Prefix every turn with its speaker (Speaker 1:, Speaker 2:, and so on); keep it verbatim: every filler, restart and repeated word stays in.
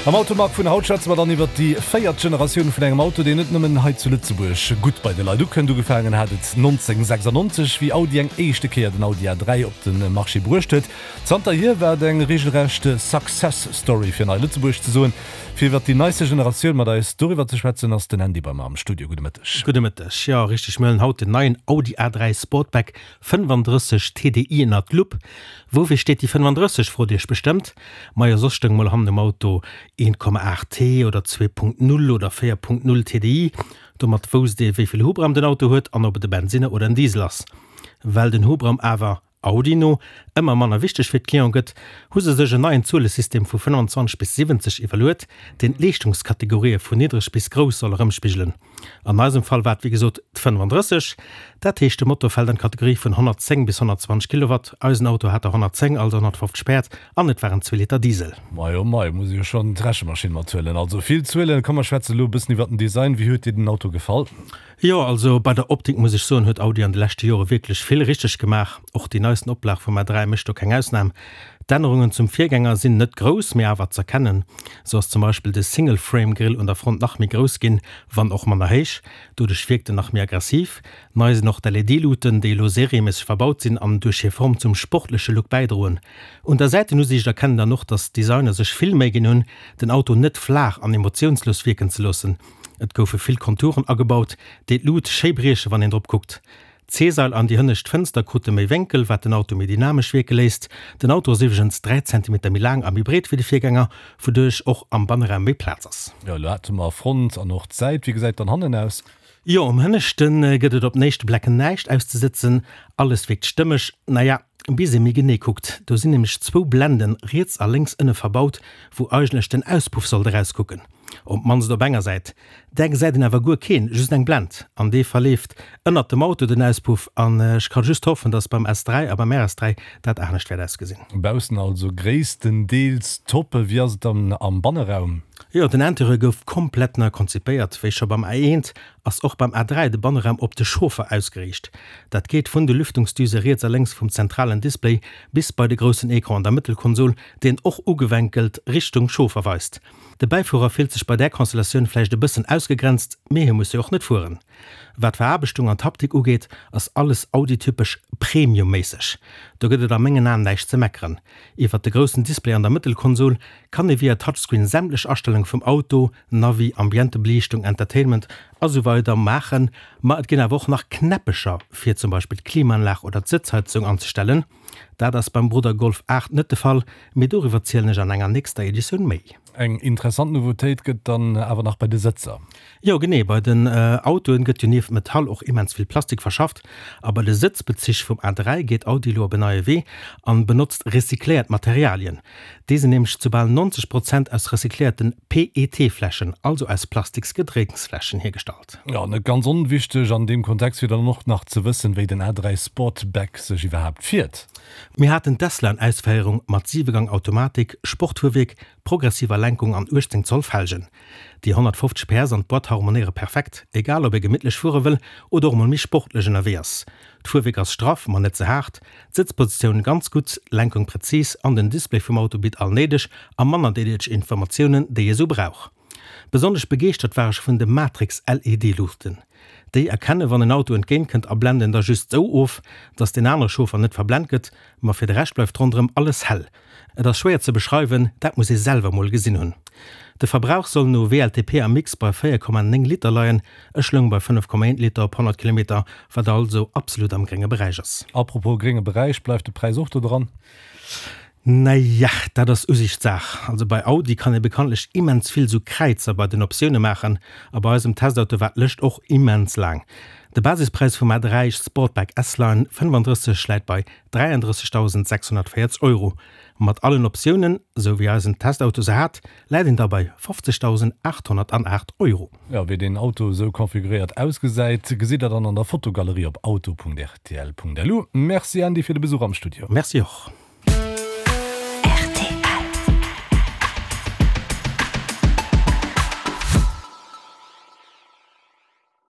Speaker 1: Am Automag vun haut schwätze mer dann iwwert déi véiert Generatioun vun engem Auto, deen net nëmmen hei zu Lëtzebuerg gutt bei de Leit ukënnt. Ugefaangen hat et nonzénhunnertsechsannonzeg, wéi Audi eng éischte Kéier den Audi A dräi op de Marché bruecht huet. Zanterhier war et eng reegelrecht Success Story, fir an Lëtzebuerg ze soen. Fir iwwert déi neiste Generatioun mat eis doriwwer ze schwätzen, ass den Andy bei mer am Studio. Gudde Mëtteg.
Speaker 2: Gudde Mëtteg. Jo, richteg, mir huelen haut den neien Audi A dräi Sportback fënnefandrësseg T D I ënnert d'Lupp. Woufir steet déi fënnefandrësseg, frot Iech bestëmmt. Majo, soss stoung mol hannen um Auto een Komma aacht T oder zwee Punkt null oder véier Punkt null T D I. Domat wousst ee wéi vill Hubraum den Auto huet an ob et e Bensinner oder en Diesel ass. Well den Hubraum awer, Audi no, ëmmer manner wichteg fir d'Cliente gëtt, hu se sech en neien Zuelesystem vu fënnefanzwanzeg bis siwwenzeg iwwerluet, deen d'Leeschtungskategorië vun niddreg bis grouss soll erëmspigelen. An eisem Fall war et wéi gesot d'fënnefandrësseg. Dat heescht, de Motor fält an d'Kategorie vun honnertzéng bis honnertzwanzeg Kilowatt. Eisen Auto hat der honnertzéng, also honnertfofzeg Päerd, an et war en zwee Liter Diesel.
Speaker 1: Mei oh mei, muss ech jo schonn d'Rechemaschinn mathuelen. Also vill Zuelen. Komm mer schwätzen elo e bëssen iwwer den Design. Wéi huet dir den Auto gefall?
Speaker 2: Jo, also bei der Optik muss ech soen, huet Audi an de leschte Jore wierklech vill richteg gemaach. Och déi neisten Oplag vum A dräi mécht do keng Ausnam. D'Ännerungen zum Virgänger sinn net grouss, mee awer z'erkennen. Sou ass zum Beispill de Single-Frame-Grill un der Front nach méi grouss ginn, wann och manner héich. Doduerch wierkt en nach méi aggressiv. Nei sinn och d'L E D-Luuten, déi elo serieméisseg verbaut sinn an duerch hir Form zum sportleche Look bäidroen. Un der Säitenusiicht erkennt een dann och, dass d'Designer sech vill Méi ginn hunn, den Auto net flaach an emotiounslos wierken ze loossen. Et goufe vill Konturen agebaut, déi d'Lut schéi brieche wann een drop kuckt. D'C-Sail an déi hënnescht Fënster krute méi Wénkel, wat den Auto méi dynamesch wierke léisst. Den Auto ass iwwregens dräi Zentimeter méi laang a méi breet wéi de Virgänger, wouduerch och am Banneraum méi Plaz ass.
Speaker 1: Jo, elo hate mer Front an och d'Säit. Wéi gesäit dann hannen aus?
Speaker 2: Jo, um Hënneschte gëtt et op den éischte Blecken näischt auszesëtzen, alles wierkt stëmmeg. Naja, bis ee méi genee kuckt. Do sinn nämlech zwou Blenden riets a lénks ënne verbaut, wou eigentlech den Auspuff sollt erauskucken. Op d'mannst op enger Säit. Där gesäit een awer guer keen, just eng Blend. An dee verleeft ënnert dem Auto, den Auspuff. An ech ka just hoffen, dass beim S dräi a beim R S dräi dat anescht wäert ausgesinn.
Speaker 1: Baussen also gréisstendeels top. Wéi ass et dann am Banneraum?
Speaker 2: Jo, den Interieur gouf komplett nei konzipéiert. Wéi scho beim A eent ass och beim A dräi de Banneraum op de Chauffer ausgeriicht. Dat geet vun de Lüftungsdüse riets a lénks vum zentralen Display bis bei de groussen Ecran an der Mëttelkonsol, deen och ugewenkelt Richtung Chauffer weist. De Bäifuerer fillt sech bei där Konstellatioun vläicht e bëssen ausgegrenzt, mee hie muss jo och net fueren. Wat d'Veraarbechtung an d'Haptik ugeet, ass alles Audi-typesch premiumméisseg. Do gëtt et a mengen Aen näischt ze meckeren. Iwwert de groussen Display an der Mëttelkonsol kann ee via Touchscreen sämtlech Astellunge vum Auto, Navi, Ambientebeliichtung, Entertainment a sou weider maachen. Ma et ginn awer och nach Knäppecher fir zum Beispill d'Klimaanlag oder d'Sëtzheizung anzestellen. Dat ass beim Brudder Golf aacht net de Fall, mee doriwwer zielen ech an enger nächster Editioun méi.
Speaker 1: Eng interessant Nouveautéit gëtt dann awer nach bei de Sëtzer.
Speaker 2: Jo genee, bei den Autoen gëtt jo nieft Metall och immens vill Plastik verschafft. A bei de Sëtzbezich vum A dräi geet Audi elo op en neie Wee an benotzt recycléiert Materialien. Déi sinn nämlech zu bal neunzeg Prozent aus recycléierten P E T-Fläschen, also aus plastiks Gedrénksfläschen hiergestallt.
Speaker 1: Jo, net ganz onwichteg an deem Kontext wier dann och nach ze wëssen, wéi den A dräi Sportback sech iwwerhaapt fiert.
Speaker 2: Mir haten d'S-Line-Ausféierung mat Siwegang-Automatik, Sportfuerwierk, progressiver Lenkung an uechtzéng Zoll Felgen. Déi honnertfofzeg P S an d'Boîte harmonéiere perfekt, egal ob ee gemittlech fuere wëll oder och emol méi sportlech ënnerwee ass. D'Fuerwierk ass straff, ma net ze haart, d'Sëtzpositioun ganz gutt, d'Lenkung präzis an den Display vum Auto bitt all néideg a manner néideg Informatiounen, déi ee sou brauch. Besonnesch begeeschtert war ech vun de Matrix-L E D-Luuchten. Déi erkennen, wann en Auto entgéint kënnt a blenden da just sou of, dass deen anere Chauffer net verblent gëtt, ma fir de Rescht bleift ronderëm alles hell. Et ass schwéier ze beschreiwen, dat muss ee selwer mol gesinn hunn. De Verbrauch soll no W L T P am Mix bei véier Komma néng Liter leien, ech loung bei fënnef Komma eent Liter op honnert Kilometer, wat also absolut am grénge Beräich ass.
Speaker 1: Apropos grénge Beräich, bleift de Präis och do dran?
Speaker 2: Naja, dat ass Usiichtssaach. Also bei Audi kann ee bekanntlech immens vill sou Kräizer bei den Optioune maachen a bei eisem Testauto war d'Lëscht och immens laang. De Basispräis vum A dräi Sportback S-Line fënnefandrësseg läit bei dräiandrëssegdausendsechshonnertvéierzeg Euro. Mat allen Optiounen, sou wéi eisen Testauto se hat, läit een da bei fofzegdausendaathonnertaacht Euro.
Speaker 1: Jo, wéi deen Auto esou konfiguréiert ausgesäit, gesitt der dann an der Fotogalerie op auto Punkt R T L Punkt L U. Merci Andy fir de Besuch am Studio.
Speaker 2: Merci och.